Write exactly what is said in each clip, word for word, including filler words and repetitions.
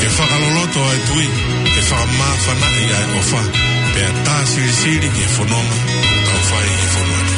Ke fakaloloto ʻa e tui, ke fakamāfanaʻi ʻa e ʻofa, pea tā silisili ki he fononga ʻoku tau fai ʻi he fonua ni.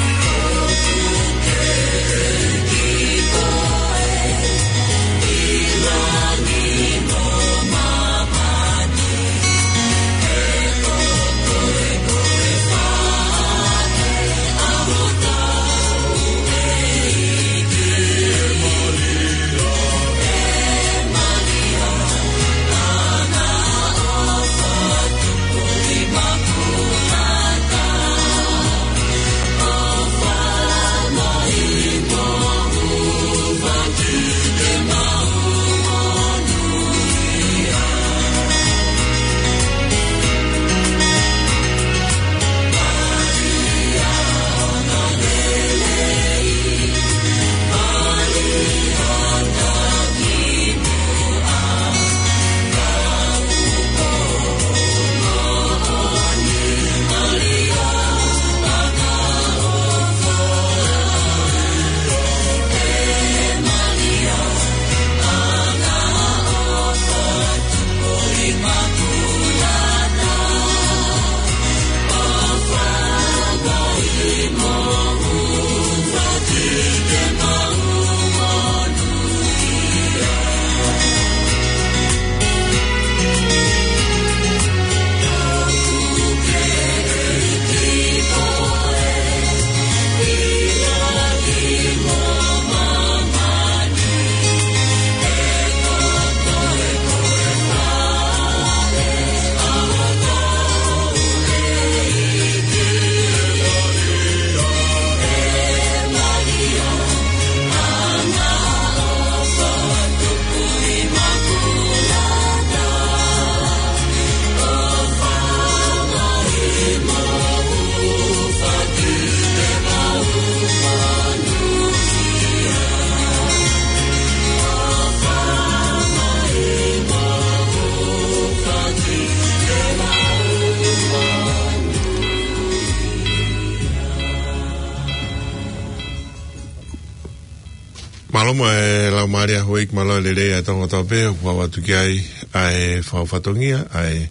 Mālō mo e laumālie ʻa e houʻeiki, mālō e lelei ʻa e Tonga Tapu, ʻoku ʻoatu ki ai ʻa e fau fatongia ʻa e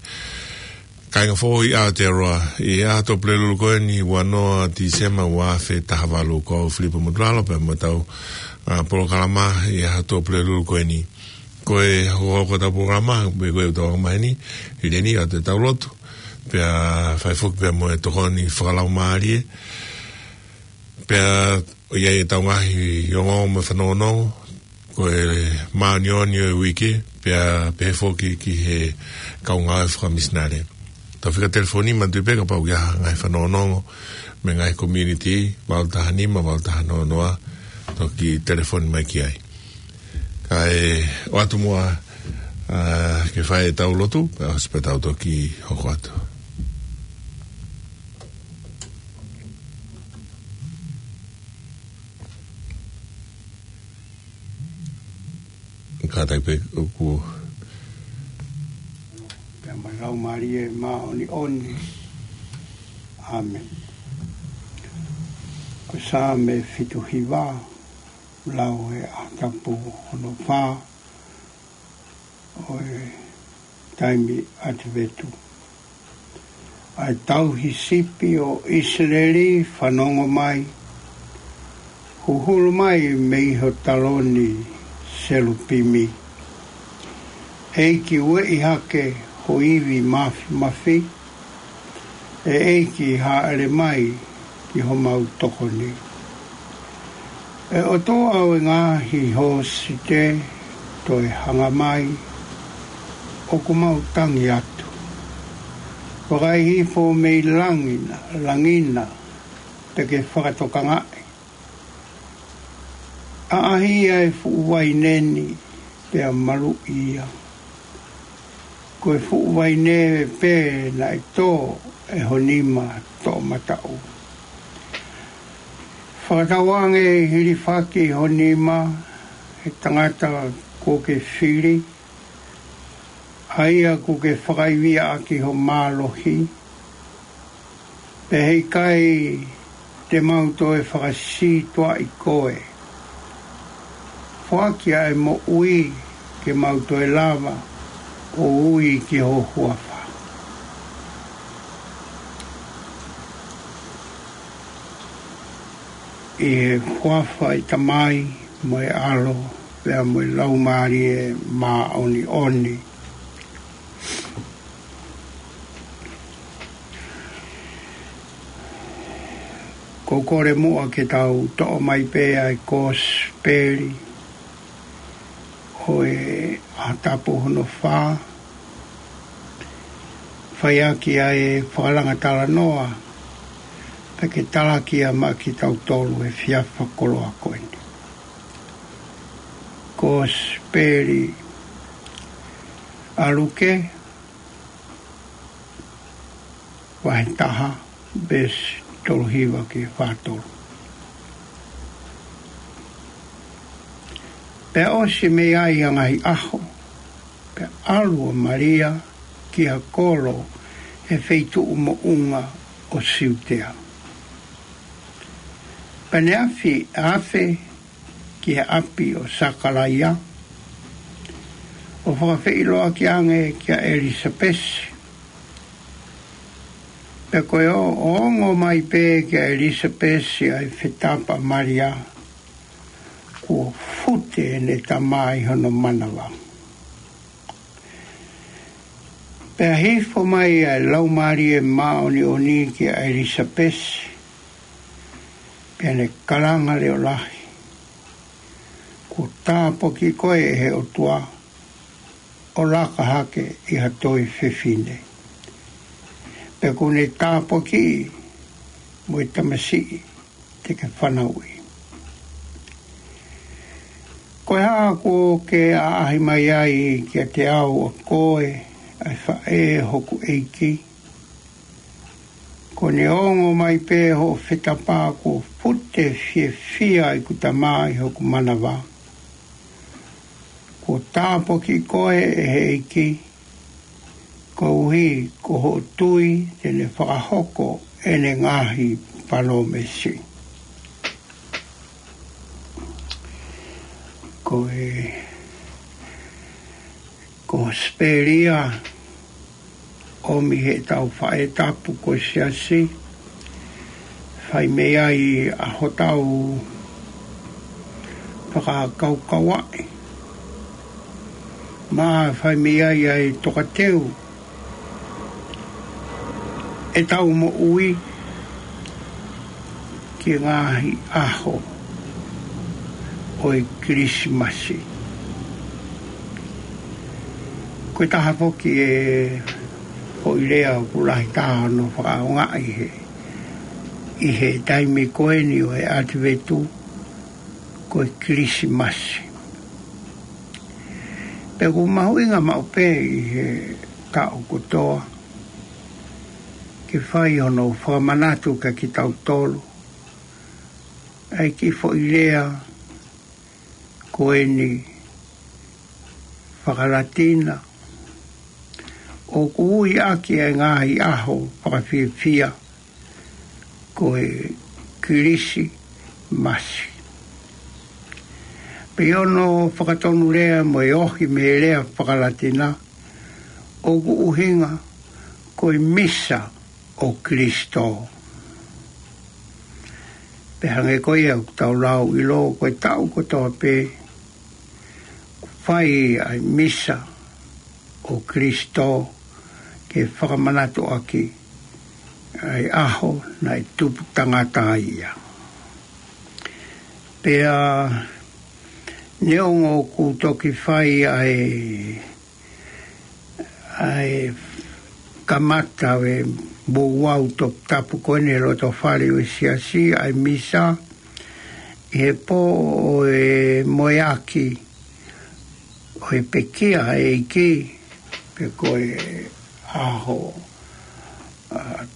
kāinga foʻou ʻi Aotearoa ʻi he ʻaho Tuʻapulelulu ko eni, ua noa Tīsema ua afe taha valu. Ko au Filipa Motulalo pea mo ʻetau, ʻa, polokalama ʻi he ʻaho Tuʻapulelulu ko eni. Ko e hokohoko ʻetau polokalama, pea ko e ʻetau anga maheni, ʻi he ʻaho ni ʻoatu ʻetau lotu, pea fai foki pea mo e tokoni fakalaumālie. Pea ʻoku ʻi ai ʻetau ngaahi ongoongo mo e fanongonongo, ko e māʻoniʻoni ʻo e uike, pea pehē foki ki he kau ngāue fakamisinale. Tau fika telefoni, manatuʻi pē kapau ʻoku ʻi ai ha ngaahi fanongonongo mei he ngaahi community, valu taha nima, valu taha noa noa, toki telefoni mai ki ai. Kae ʻoatu muʻa, ʻa, ke fai ʻetau lotu, pea ʻosi pea tau toki hoko atu. Kātaki pē ʻoku. Pea mo e Laumālie Māʻoniʻoni. ʻĀmeni. Ko Saame fitu hiva, lau ʻe he ʻaho tapu hono fā ʻo e taimi ʻAtivetu. ʻA e tauhi sipi ʻo ʻIsileli, fanongo mai, huhulu mai mei ho taloni, selupimi. ʻEiki, ueʻi hake ho ivi māfimafi, ʻe ʻEiki, hāʻele mai ki homau tokoni. ʻE ʻOtua ʻo e ngaahi hōsite, toe hanga mai, ʻoku mau tangi atu. Vakai hifo mei langi na, langi na, te ke fakatokangaʻi. ʻAʻahi ʻa e fuʻu vaine ni, pea maluʻi ia. Ko e fuʻu vaine pē naʻe tō ʻe ho nima toʻomataʻu. Fakatauange hilifaki ho nima, ʻe tangata kuo ke fili, ʻa ia kuo ke fakaivia ʻaki ho mālohi, pea heʻikai te mau toe fakasītuʻaʻi koe. Foaki ʻa e moʻui ke mau toe lava ʻo ui ki ho huafa. ʻI he huafa ʻo e Tamai, mo e ʻAlo, pea mo e Laumālie Māʻoniʻoni. ʻOku ou kole muʻa ke tau toʻo mai pē ʻa e Kosipeli ʻo e ʻaho tapu hono fā, fai ʻaki ʻa e fakalanga talanoa, pea ke talaki ia maʻa kitautolu he efiafi koloa ko eni. Kosipeli ʻa Luke, vahe taha, veesi tolu hiva ki he fā tolu. Pea ʻosi mei ai ʻa e ngaahi ʻaho, pea ʻalu ʻa Malia ki ha kolo he feituʻu moʻunga ʻo Siutea. Pea ne afe, afe ki he ʻapi ʻo Sakalaia, ʻo fakafeʻiloaki ange kia ʻElisapesi. Pea ko e ʻo, ʻo ongo mai pē kia ʻElisapesi ʻa e fetapa ʻa Malia, kuo fute ʻene tama ʻi hono manava. Pea hifo mai ʻa e Laumālie Māʻoniʻoni kia ʻElisapesi, pea ne kalanga leʻo lahi, kuo tāpuaki koe ʻe he ʻOtua, ʻo laka hake ʻi ha toe fefine. Pea kuo ne tāpuakiʻi mo e tamasiʻi te ke fanauʻi. Ko e hā kuo ke ʻaʻahi mai ai kiate au ʻa koe, ʻa e faʻē hoku ʻeiki? Kuo ne ongo mai pē hoʻo fetapa kuo fute fiefia ʻeku tama ʻi hoku manava. Kuo tāpuakiʻi koe ʻe he ʻEiki, koeʻuhi ko hoʻo tui te ne fakahoko ʻene ngaahi palōmesi. Ko e Kosipeli ia ʻomi heʻetau faʻē tapu ko e Siasi, fai mei ai ʻa hotau fakakaukauʻi, mo fai mei ai ʻa e tokateu ʻetau moʻui ki he ngaahi ʻaho ʻo e Kilisimasi. Ko e taha foki e foʻi lea ʻoku lahi taha hono fakaʻaongaʻi he, ʻi he taimi ko eni ʻo e ʻAtivetu, ko e Kilisimasi. Pea ʻoku mahuʻinga maʻu pē ʻi he taʻu kotoa ke fai hono fakamanatu kia kitautolu ʻa e kiʻi foʻi lea ko eni fakalatina, ʻoku ui ʻaki ʻa e ngaahi ʻaho fakafiefia ko e Kilisimasi. Pea ʻi hono fakatonulea mo e ohi mei he lea fakalatina, ʻoku ʻuhinga ko e Misa ʻo Kilisitō. Pea hangē ko ia ʻoku tau lau ʻilo, ko e taʻu kotoa pē ʻoku fai ʻa e Misa ʻo Kilisitō ke fakamanatu ʻaki ʻa e ʻaho naʻe tupu tangata ai ia. Pea neongo ʻoku toki fai ʻa e, ʻa e kamata ʻo e ouau toputapu ko eni he loto fale ʻo e Siasi, ʻa e Misa, ʻi he pō ʻo e moeaki ʻo e pekia ʻa e ʻEiki, pe ko e ʻaho, ʻa,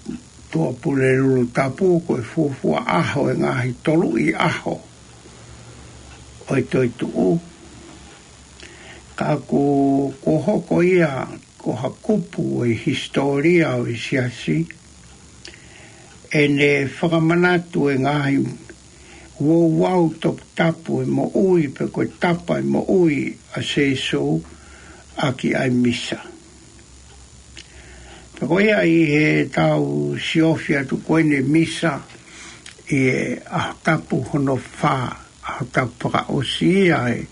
Tuʻapulelulu Tapu, ko e fuofua ʻaho ʻo e ngaahi toluʻi ʻaho ʻo e toetuʻu. Ka ʻoku, ʻoku hoko ia ko ha kupu ʻo e hisitōlia ʻo e Siasi, ʻene fakamanatu e ngaahi ouau toputapu ʻo e moʻui, pe ko e tapa ʻo e moʻui ʻa Sīsū, ʻaki ʻa e misa. Pea ko ia ʻi heʻetau siofi atu ko eni misa ʻi he ʻaho tapu hono fā, ʻaho tapu fakaʻosi ia ʻi he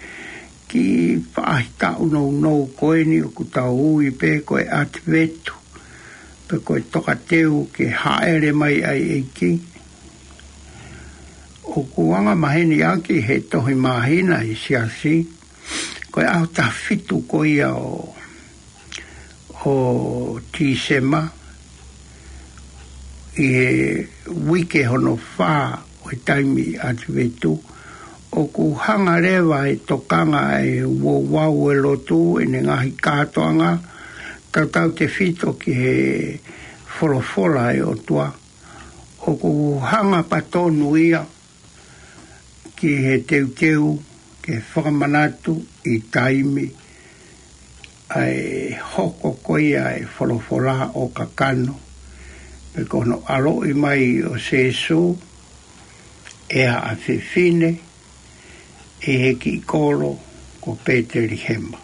kiʻi faʻahitaʻu nounou ko eni ʻoku tau ui pē ko e ʻAtivetu, pe ko e tokateu ke hāʻele mai ʻa e ʻEiki. ʻOku anga maheni ʻaki he tohi māhina ʻi he siasi, ko e ʻaho taha fitu ko ia ʻo, ʻo Tīsema, ʻi he uike hono fā ʻo e taimi ʻAtivetu, ʻoku hanga leva e tokanga ʻa e ouau ʻo e lotu ʻene ngaahi kātoanga, tautautefito ki he folofola ʻa e ʻOtua. ʻOku hanga pē tonu ia ki he teuteu ke fakamanatu ʻi taimi ʻa e hoko ko ia ʻa e folofola ʻo kakano, pe ko hono ʻaloʻi mai ʻo Sēsū ʻe ha fefine ʻi he kiʻi kolo ko Pētelihema.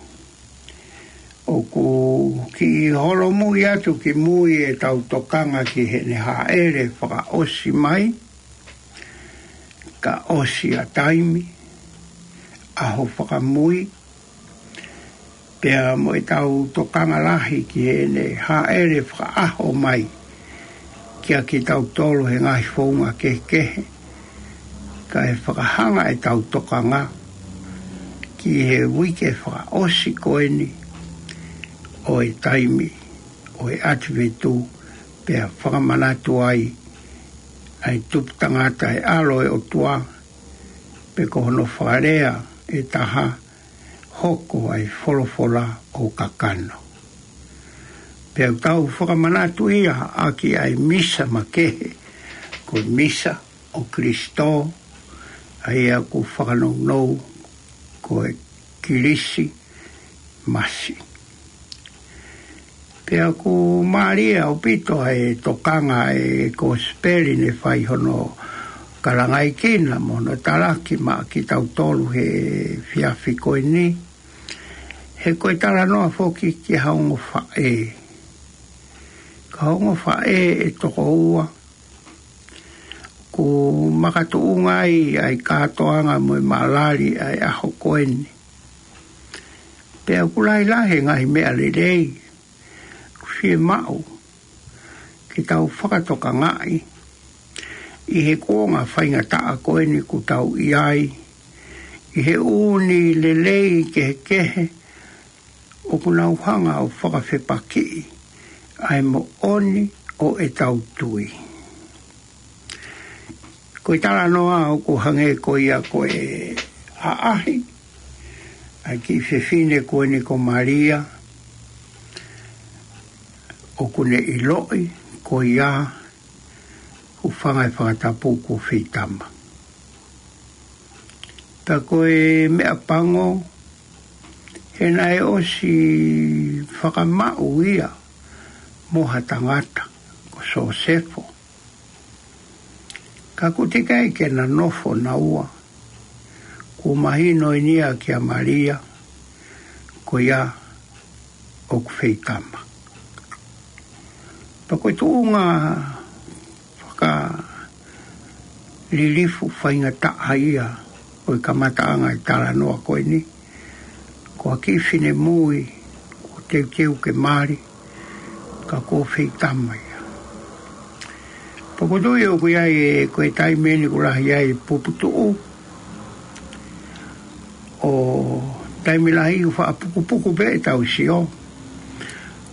ʻOku kiʻi holomui atu ki mui ʻetau tokanga ki heʻene hāʻele fakaʻosi mai, ka ʻosi ʻa taimi, ʻaho fakamui, pea mo ʻetau tokanga lahi ki heʻene hāʻele fakaʻaho mai kiate kitautolu he ngaahi founga kehekehe, kae fakahanga ʻetau tokanga ki he uike fakaʻosi ko eni ʻo e taimi ʻo e ʻAtivetu, pea fakamanatu ai ʻa e tupu tangata ʻa e ʻAlo ʻo e ʻOtua, pe ko hono fakalea ʻe taha, hoko ʻa e folofola ʻo kakano. Pea ʻoku tau fakamanatu ia ʻaki ʻa e misa makehe, ko e misa ʻo Kilisitō, ʻa ia ʻoku fakanounou ko e Kilisimasi. Pea ʻoku mālie ʻaupito ʻa e tokanga ʻa e Kosipeli ne fai hono kalangaʻi kina mo hono talaki maʻa kitautolu he efiafi ko eni. He ko e talanoa foki ki ha ongo faʻē. Ko ha ongo faʻē ʻe toko ua, ʻoku makatuʻunga ai ʻa e kātoanga mo e malali ʻa e ʻaho ko eni. Pea ʻoku lahilahi e ngaahi meʻa lelei ʻoku fiemaʻu ke tau fakatokangaʻi ʻi he kuonga faingataʻa ko eni ʻoku tau ʻi ai, ʻi he ʻū lelei kehekehe ʻoku nau hanga ʻo fakafepakiʻi ʻa e moʻoni ʻo ʻetau tui. Ko e talanoa ʻoku hangē ko ia ko e ʻaʻahi ʻa e kiʻi fefine ko eni ko Malia, ʻoku ne ʻiloʻi ko ia, ʻoku fanga e fakatapu kuo feitama. Pea ko e meʻapango, he naʻe ʻosi fakamaʻu ia mo ha tangata, ko Sosefo. Ka ʻoku teʻeki ai ke na nofo naua, kuo mahino eni ia kia Malia, ko ia ʻoku feitama. Pea ko e tuʻunga fakalilifu faingataʻa ia ʻo e kamataʻanga e talanoa ko eni, ko ha kiʻi finemui, ʻoku teuteu ke mali, ka kuo feitama ia. Pea ʻoku ou tui ʻoku ʻi ai e, ko e taimi eni ʻoku lahi ai e puputuʻu, ʻo taimi lahi ʻoku faʻa pukupuku pē ʻetau sio.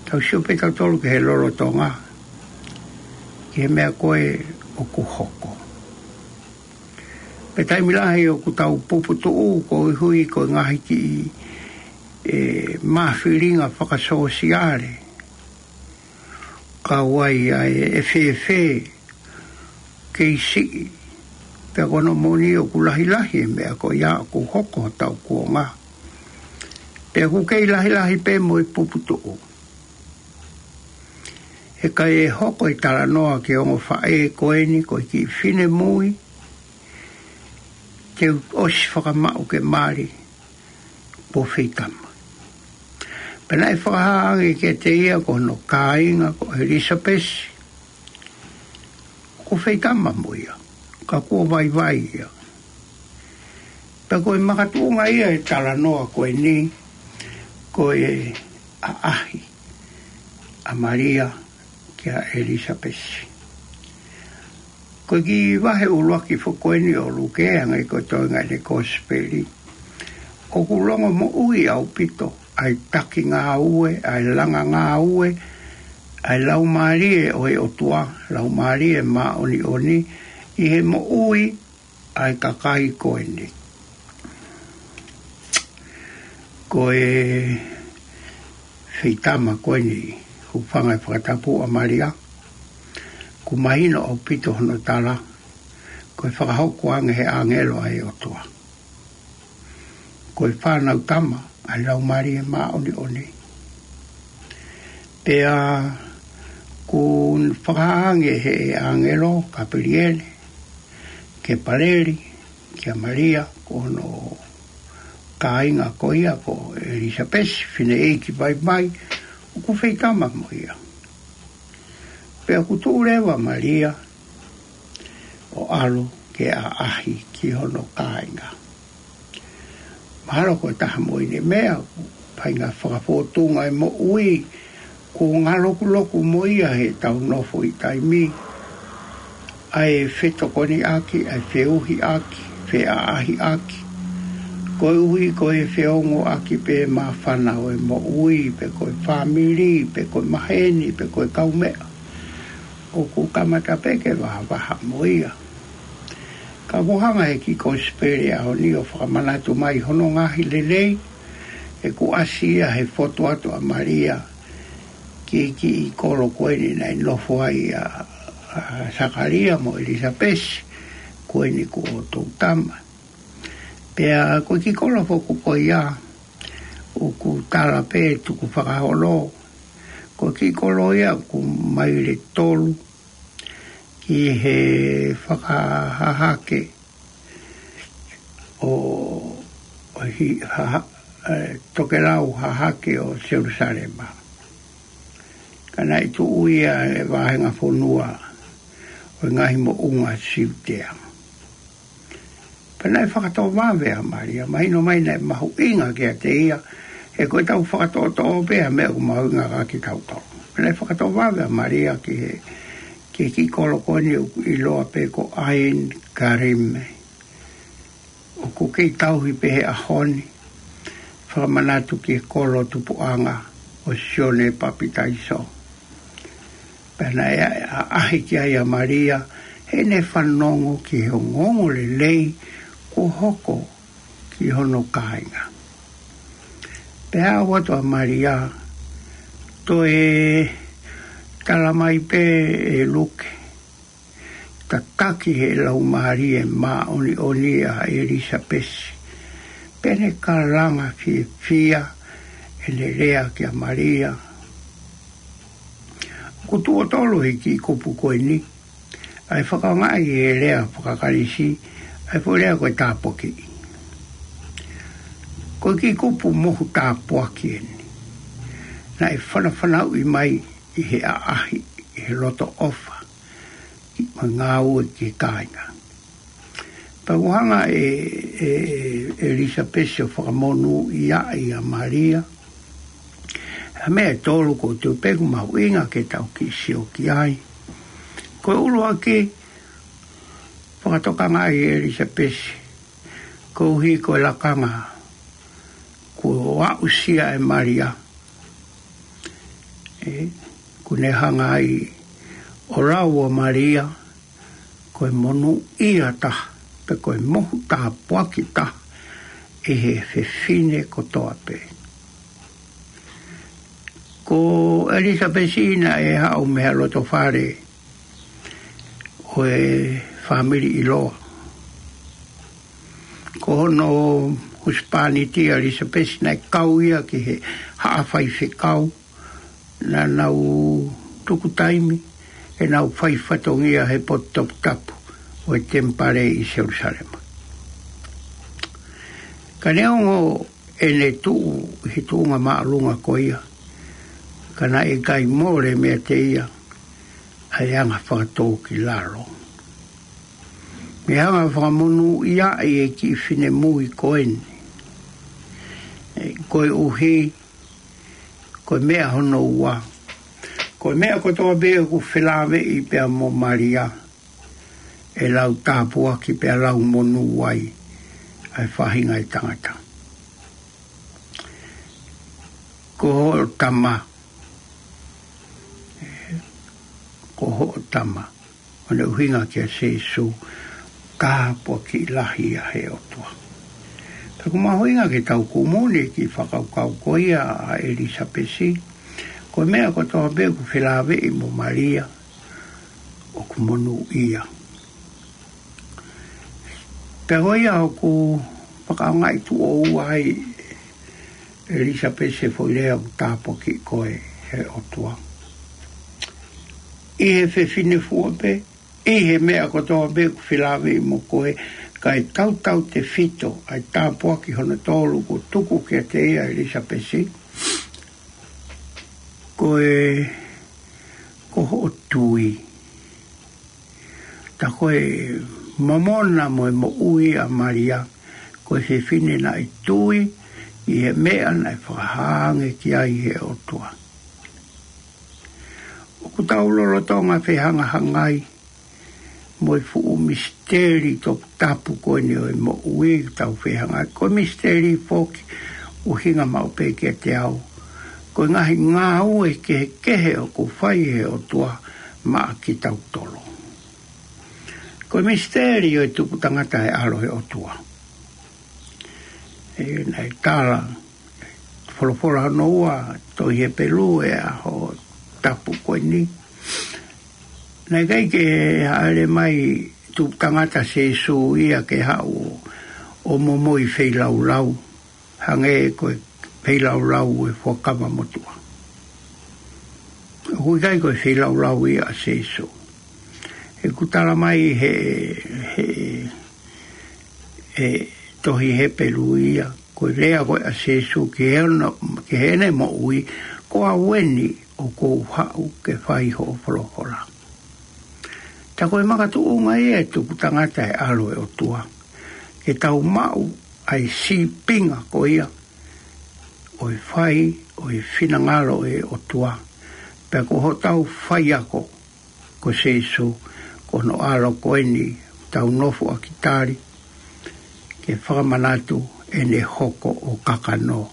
Tau sio pē tautolu ki he lolotonga, ki he meʻa ko ē ʻoku hoko. Pea taimi lahi ʻoku tau puputuʻu koeʻuhi ko e ngaahi kiʻi, e, mafilinga fakasōsiale. Kau ai ʻa e fēfē, kei siʻi, pea ko hono moʻoni ʻoku lahilahi e meʻa ko ia ʻoku hoko hotau kuonga. Pea ʻoku kei lahilahi pē mo e puputuʻu. He ka ʻe hoko e talanoa ki he ongo faʻē ko eni ko e kiʻi finemui, te u ʻosi fakamaʻu ke mali, kuo feitama. Pea naʻe fakahā ange kiate ia ko hono kāinga ko ʻElisapesi, ʻoku feitama mo ia, ka kuo vaivai ia. Pea ko e makatuʻunga ia e talanoa ko eni, ko e ʻaʻahi ʻa Malia kia ʻElisapesi. Ko e kiʻi vahe ʻuluaki foki ko eni ʻo Luke, hangē ko e toenga ʻene kosipeli, ʻoku longomoʻui ʻaupito ʻa e taki ngāue, ʻa e langa ngāue ʻa e Laumālie ʻo e ʻOtua, Laumālie Māʻoniʻoni, ʻi he moʻui ʻa e kakai ko eni. Ko e feitama ko eni, hūfanga he fakatapu ʻa Malia, ʻoku mahino ʻaupito hono tala, ko e fakahoko ange he ʻāngelo ʻa e ʻOtua. Ko e fānau tama ʻa e Laumālie Māʻoniʻoni. Pea kuo fakahā ange he ʻāngelo Kapeliele, Kepaleli, kia Malia, ko hono kāinga ko ia ko ʻElisapesi, fineʻeiki vaivai, ʻoku feitama mo ia. Pea kuo tuʻu leva Malia ʻo ʻalu ke ʻaʻahi ki hono kāinga. Mahalo ko e taha mo ʻene meʻa, ʻoku feinga fakafōtunga e moʻui, kuo ngalokuloku mo ia heʻetau nofo ʻi taimi, ʻa e fetokoniʻaki, ʻa e feʻuhiʻaki, feʻaʻahiʻaki. Koeʻuhi ko e feongoʻaki pē māfana ʻo e moʻui, pe ko e fāmili, pe ko e maheni, pe ko e kaumeʻa. ʻOku kamata pē ke vahavaha mo ia. Ka kuo hanga he kiʻi kosipeli ʻaho ni ʻo fakamanatu mai hono ngaahi lelei, he kuo ʻasi ia he fotu atu ʻa Malia ki he kiʻi kolo ko eni naʻe nofo ai ʻa, ʻa Sakalia mo ʻElisapesi, ko eni ko ʻotou tama. Pea ko e kiʻi kolo foki ko ia, ʻoku tala pē tukufakaholo, ko e kiʻi kolo ia ʻoku maile tolu ki he fakahahake ʻo, ʻo hi-, haha-, e, tokelau hahake ʻo Selusalema. Ka naʻe tuʻu ia he vāhenga fonua ʻo e ngaahi moʻunga Siutea. Pea naʻe fakatovave ʻa Malia, mahino mai naʻe mahuʻinga kiate ia, he ko ʻetau fakatoʻotoʻo pē ʻa e meʻa ʻoku mahuʻinga kiate kitautolu. Pea naʻe fakatovave ʻa Malia ki he, ki he kiʻi kolo ko eni ʻoku ʻiloa pē ko ʻAin Karime. ʻOku kei tauhi pē he ʻaho ni, fakamanatu ki he kolo tupuʻanga ʻo Sione Papitaiso. Pea naʻe ʻa-, ʻaʻahi ki ai ʻa Malia, heʻene fanongo ki he ongoongolelei kuo hoko ki hono kāinga. Pea aʻu atu ʻa Malia, toe tala mai pē ʻe Luke, tataki he Laumālie Māʻoniʻoni ʻa ʻElisapesi. Pea ne kalanga fiefia ʻene lea kia Malia. ʻOku tuʻo tolu he kiʻi kupu ko eni, ʻa e fakaʻaongaʻi e lea faka-Kalisi, ʻa e foʻi lea ko e tāpuakiʻi. Ko e kiʻi kupu mohu tāpuaki eni. Naʻe fanafanauʻi mai ʻi he ʻaʻahi, ʻi he loto ʻofa, ʻi he ngāue ki he kāinga. Pea ʻoku hanga ʻe, ʻe, ʻe ʻElisapesi ʻo fakamonūʻia ʻa Malia. ʻA e meʻa ʻe tolu ʻoku ou tui pē ʻoku mahuʻinga ke tau kiʻi sio ki ai. Ko e ʻuluaki, fakatokangaʻi ʻe ʻElisapesi koeʻuhi ko e lakanga kuo aʻusia ʻe Malia. ʻE, kuo ne hanga ai ʻo lau ʻa Malia ko e monūʻia taha, pe ko e mohu tāpuaki taha ʻi he fefine kotoa pē. Ko ʻElisapesi naʻe haʻu mei he loto fale ʻo e fāmili ʻiloa. Ko hono husepāniti ʻa ʻElisapesi naʻe kau ia ki he haʻa faifekau, naʻa nau tuku taimi ʻenau fai fatongia he potu toputapu ʻo e temipale ʻi Selusalema. Ka neongo ʻene tuʻu ʻi he tuʻunga māʻolunga ko ia, ka naʻe ʻikai mole meiate ia ʻa e anga fakatōkilalo. Mei he anga fakamonūʻia ʻa e kiʻi finemui ko eni. ʻE, koeʻuhi, ko e meʻa hono ua. Ko e meʻa kotoa pē ʻoku felāveʻi pea mo Malia, ʻe lau tāpuaki pea lau monū ai ʻa e faʻahinga ʻo e tangata. Ko hoʻo tama, ko hoʻo tama, ʻo ne ʻuhinga kia Sīsū, tāpuaki lahi ia he ʻOtua. Pea ʻoku mahuʻinga ke tau kumuni ki he fakakaukau ko ia ʻa ʻElisapesi, ko e meʻa kotoa pē ʻoku felāveʻi mo Malia, ʻoku monūʻia. Pea ko ia ʻoku fakaʻaongaʻi tuʻo ua ai ʻe ʻElisapesi e foʻi lea ʻoku tāpuaki koe he ʻOtua. ʻI he fefine fua pē, ʻi he meʻa kotoa pē ʻoku felāveʻi mo koe, kae tautautefito ʻa e tāpuaki hono tolu kuo tuku kiate ia ʻe ʻElisapesi, ko e, ko hoʻo tui. Tā ko e momona mo e moʻui ʻa Malia, ko e fefine naʻe tui ʻi he meʻa naʻe fakahā ange ki ai he ʻOtua. ʻOku tau lolotonga fehangahangai mo e fuʻu misiteli toputapu ko eni ʻo e moʻui, tau fehangahangai. Ko e misiteli foki ʻoku ʻuhinga maʻu pē kiate au, ko e ngaahi ngāue kehekehe ʻoku fai he ʻOtua maʻa kitautolu. Ko e misiteli ʻo e tupu tangata ʻa e ʻAlo ʻo e ʻOtua. ʻE, naʻe tala, folofola hono ua, tohi Hepelū, ʻi he ʻaho tapu ko eni. Naʻe ʻikai ke hāʻele mai tupu tangata Sīsū ia ke haʻu ʻo momoi feilaulau, hangē ko e feilaulau ʻo e Fuakava Motuʻa. ʻOku ʻikai ko e feilaulau ia ʻa Sīsū. ʻOku tala mai he, he, he tohi Hepelū ia, ko e lea ko ē ʻa Sīsū ki heʻene, ki heʻene moʻui, ko au eni ʻoku ou haʻu ke fai hoʻo folofola. Tā ko e makatuʻunga ia e tupu tangata ʻa e ʻAlo ʻo e ʻOtua, ke tau maʻu ʻa e sīpinga ko ia ʻo e fai ʻo e finangalo ʻo e ʻOtua. Pea ko hotau faiako ko Sīsū, ko hono ʻAlo ko eni ʻoku tau nofo ʻaki tali, ke fakamanatu ʻene hoko ʻo kakano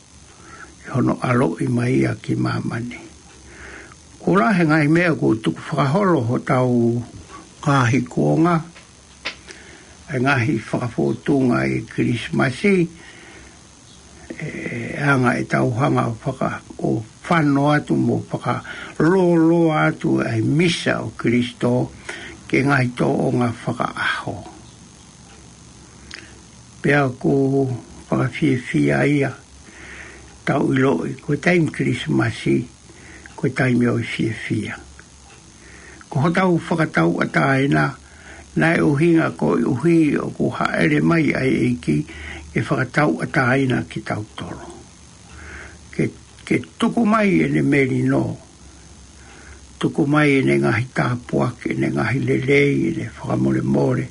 ʻi hono ʻaloʻi mai ia ki māmani. Kuo lahi e ngaahi meʻa kuo tukufakaholo hotau ngaahi kuonga, e ngaahi fakafōtunga ʻi he Kilisimasi, ʻe anga ʻetau hanga ʻo faka-, ʻo fano atu mo fakalōloa atu ʻa e misa ʻo Kalaisi ki he ngaahi tōʻonga fakaʻaho. Pea ʻoku fakafiefia ia, tau ʻiloʻi, ko e taimi Kilisimasi, ko e taimi ʻo e fiefia. Ko hotau fakatauʻatāina, naʻe ʻuhinga koeʻuhi ʻoku hāʻele mai ʻa e ʻEiki ke fakatauʻatāina kitautolu. Ke, ke tuku mai ʻene melino, tuku mai ʻene ngaahi tāpuaki, ʻene ngaahi lelei, ʻene fakamolemole,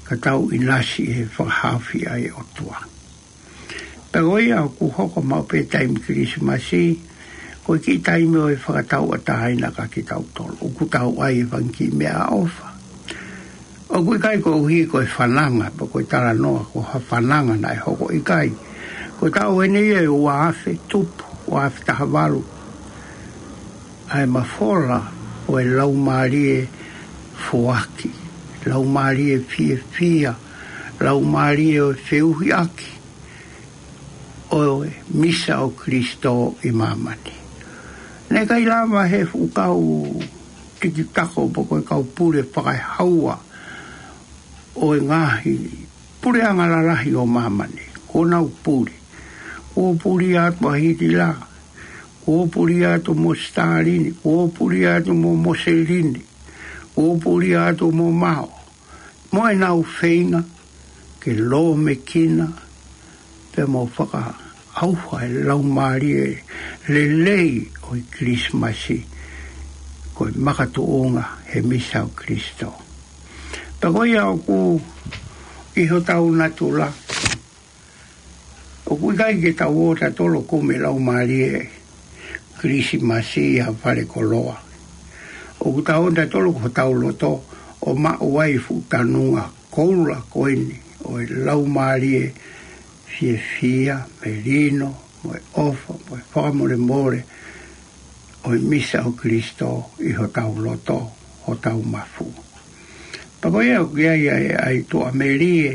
ka tau ʻinasi he fakahaofi ʻa e ʻOtua. Pea ko ia ʻoku hoko maʻu pē taimi Kilisimasi, ko e kiʻi taimi ʻo e fakatauʻatāina kia kitautolu. ʻOku tau ʻai e fanga kiʻi meʻaʻofa. ʻOku ʻikai koeʻuhi ko e fananga, pe ko e talanoa ko ha fananga naʻe hoko, ʻikai. Ko e taʻu eni ia ʻe ua afe tupu, ua afe taha valu. ʻA e mafola ʻo e laumālie foaki, laumālie fiefia, laumālie ʻo e feʻuhiʻaki ʻo e misa ʻo Kalaisi ʻi māmani. Naʻe ʻikai lava he fuʻu kau tikitako pe ko e kau pule fakaehaua ʻo e ngaahi puleʻanga lalahi ʻo māmani. Kuo nau puli. Kuo puli atu ʻa Hitila. Kuo puli atu mo Sitalini. Kuo puli atu mo Moselini. Kuo puli atu mo Mao. Mo ʻenau feinga ke lōmekina pea mo faka- ʻauha e laumālie lelei ʻo e Kilisimasi, ko e makatuʻunga he misa ʻo Kalaisi. Pea ko ia ʻoku ʻi hotau natula, ʻoku ʻikai ke tau ō tautolu ʻo kumi e laumālie Kilisimasi ʻi ha fale koloa. ʻOku tau ō tautolu ko hotau loto ʻo maʻu ai e fuʻu tanunga koula ko eni ʻo e laumālie fiefia, melino, mo e ʻofa, mo e fakamolemole ʻo e misa ʻo Kalaisi ʻi hotau loto, hotau mafu. Pea ko ia ʻoku ʻi ai ʻa e tuʻamelie,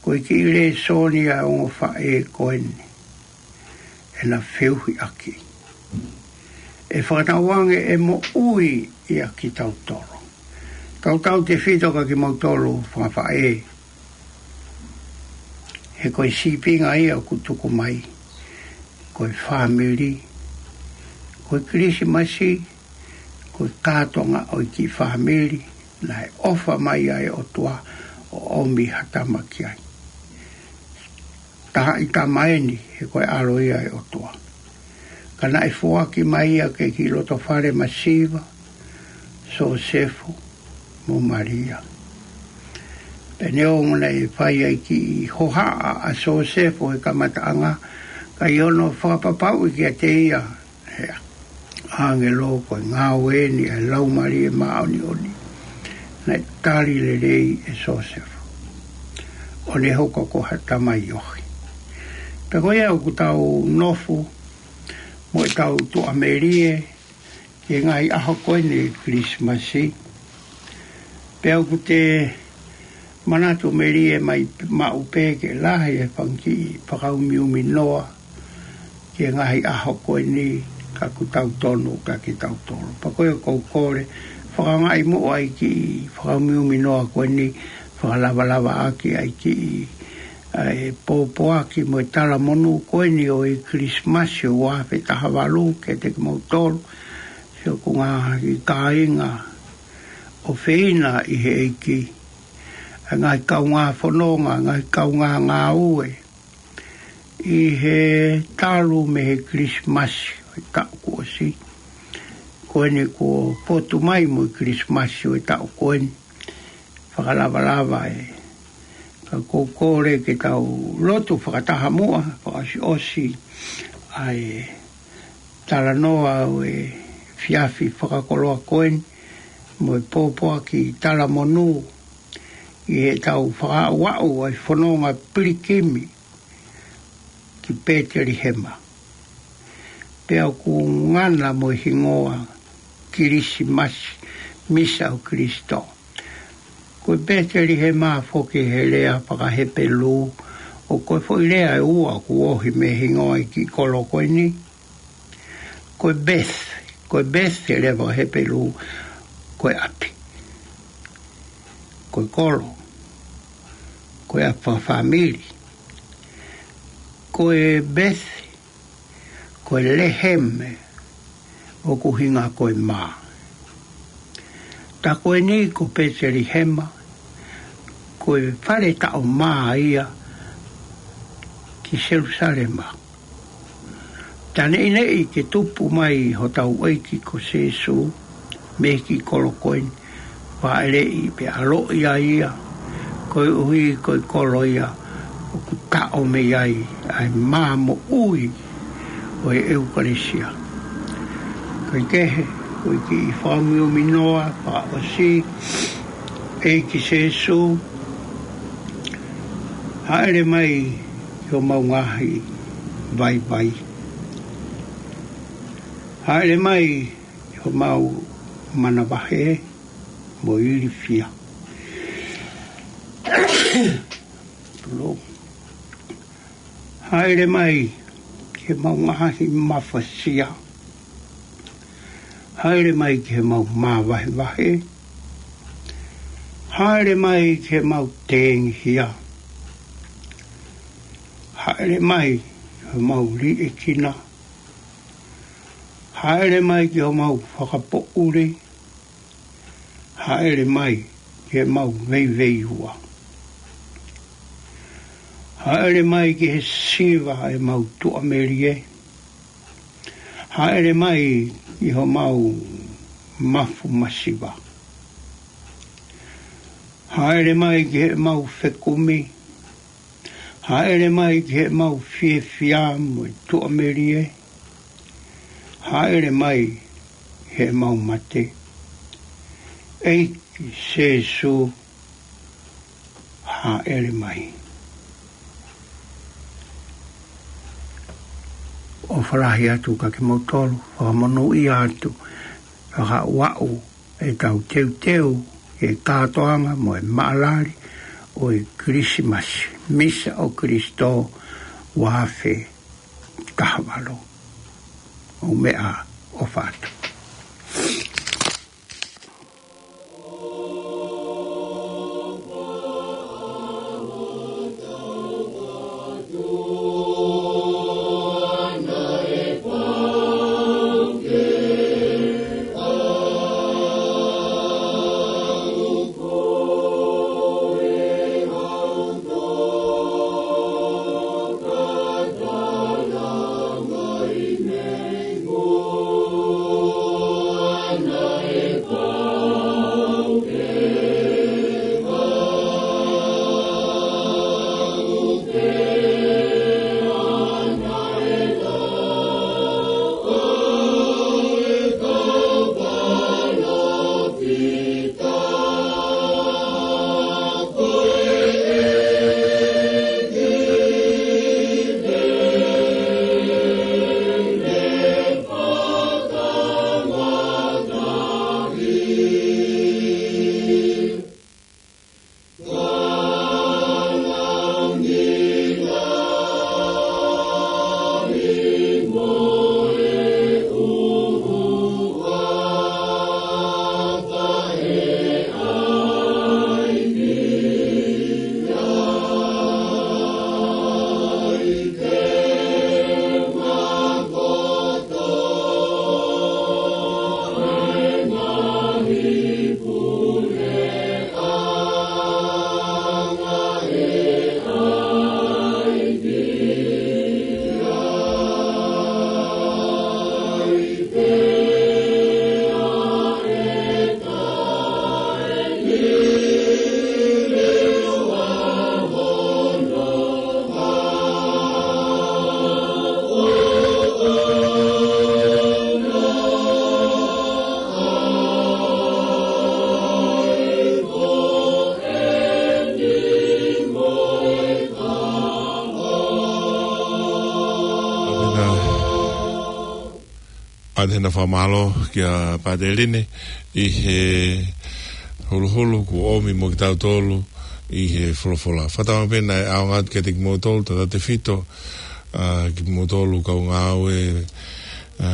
ko e kiʻi lēsoni ʻa e ongo faʻē ko eni ʻena feohiʻaki. ʻE fakaʻau ange ʻe moʻui ia kitautolu. Tautautefito kia kimoutolu fanga faʻē. He ko e sīpinga ia ʻoku tuku mai. Ko e fāmili. Ko e Kilisimasi. Ko e kātoanga ʻo e kiʻi fāmili. Naʻe ʻofa mai ai e ʻOtua ʻo ʻomi ha tama ki ai. Taha ʻi tama eni he ko e ʻAlo ia ʻo e ʻOtua. Ka naʻe foaki mai ia ki he kiʻi loto fale masiva, Sosefo mo Malia. Pea neongo naʻe fai ai e kiʻi hohaʻa ʻa Sosefo he kamataʻanga, ka ʻi hono fakapapauʻi kiate ia ʻe he ʻāngelo ko e ngāue eni ʻa e Laumālie Māʻoniʻoni, naʻe tali lelei ʻe Sosefo ʻo ne hoko ko ha tamaiohi. Pea ko ia ʻoku tau nofo mo ʻetau tuʻamelie ki he ngaahi ʻaho ko eni ʻo e Kilisimasi. Pea ʻoku te manatu melie mai maʻu pē ke lahi e fanga kiʻi fakaumiumi noa ki he ngaahi ʻaho ko eni, ka ʻoku tau tonu kia kitautolu. Pea ko ia ʻoku ou kole, fakaangaʻi muʻa e kiʻi fakaumiumi noa ko eni, fakalavalava ʻaki ʻa e kiʻi, ʻa e pōpoaki mo e talamonū ko eni ʻo e Kilisimasi ʻo ua afe taha valu kiate kimoutolu, siʻoku ngaahi kāinga ʻofeina ʻi he ʻEiki, ʻa e ngaahi kaungā fononga, ngaahi kaungā ngāue, ʻi he talu mei he Kilisimasi ʻo e taʻu kuo ʻosi. Ko eni kuo potu mai mo e Kilisimasi ʻo e taʻu ko eni. Fakalavalava ē. Ka ʻoku ou kole ke tau lotu fakataha muʻa, fakaʻosiʻosi ʻa e talanoa ʻo e efiafi fakakoloa ko eni, mo e pōpoaki talamonū, ʻi heʻetau fakaaʻuaʻu ʻa e fononga pilikimi ki Petelihema. Pea ʻoku ngana mo e hingoa Kilisimasi, misa ʻo Kalaisi. Ko e Petelihema foki he lea fakaHepelū, ʻoku ko e foʻi lea ʻe ua ʻoku ohi mei he hingoa ʻo e kiʻi kolo ko eni. Ko e Beth, ko e Beth he lea fakaHepelū, ko e ʻapi. Ko e kolo, ko e ʻapi fakafāmili. Ko e Beth, ko e Leheme, ʻoku ʻuhinga ko e mā. Tā ko eni ko Petelihema, ko e fale taʻo mā ia ki Selusalema. Tā neʻineʻi ke tupu mai hotau ʻEiki ko Sēsū mei he kiʻi kolo ko eni, fāʻeleʻi pea ʻaloʻi ai ia, koeʻuhi ko e kolo ia ʻoku taʻo mei ai ʻa e mā moʻui ʻo e ʻEukalēsia. Kaikehe, ko e kiʻi fakaumiumi noa fakaʻosi, ʻEiki Sēsū, hāʻele mai ki homau ngaahi vaivai. Hāʻele mai ki homau manavahē mo ilifia. Tolo. Hāʻele mai ki homau ngaahi mafasia. Hāʻele mai ki homau māvahevahe. Hāʻele mai ki homau tengihia. Hāʻele mai ki homau liʻekina. Hāʻele mai ki homau fakapoʻuli. Hāʻele mai ki homau veiveiua. Hāʻele mai ki he siva ʻemau tuʻamelie. Hāʻele mai ki homau mafu masiva. Hāʻele mai ki heʻemau fekumi. Hāʻele mai ki heʻemau fiefia mo e tuʻamelie. Hāʻele mai ki heʻemau mate. ʻEiki Sēsū, hāʻele mai. ʻOfa lahi atu kiate kimoutolu, fakamonūʻia atu, fakauaʻu ʻetau teuteu ki he kātoanga mo e maʻalali ʻo e Kilisimasi, Misa ʻo Kilisitō, ua afe taha valu. ʻOku meʻa, ʻofa atu. ʻA e hena fakamālō kia Pāteline ʻi he huluhulu kuo ʻomi mo kitautolu ʻi he folofola. Fakatauange pē naʻe ʻaonga atu kiate kimoutolu, tautautefito, ʻa, kimoutolu kau ngāue, ʻa,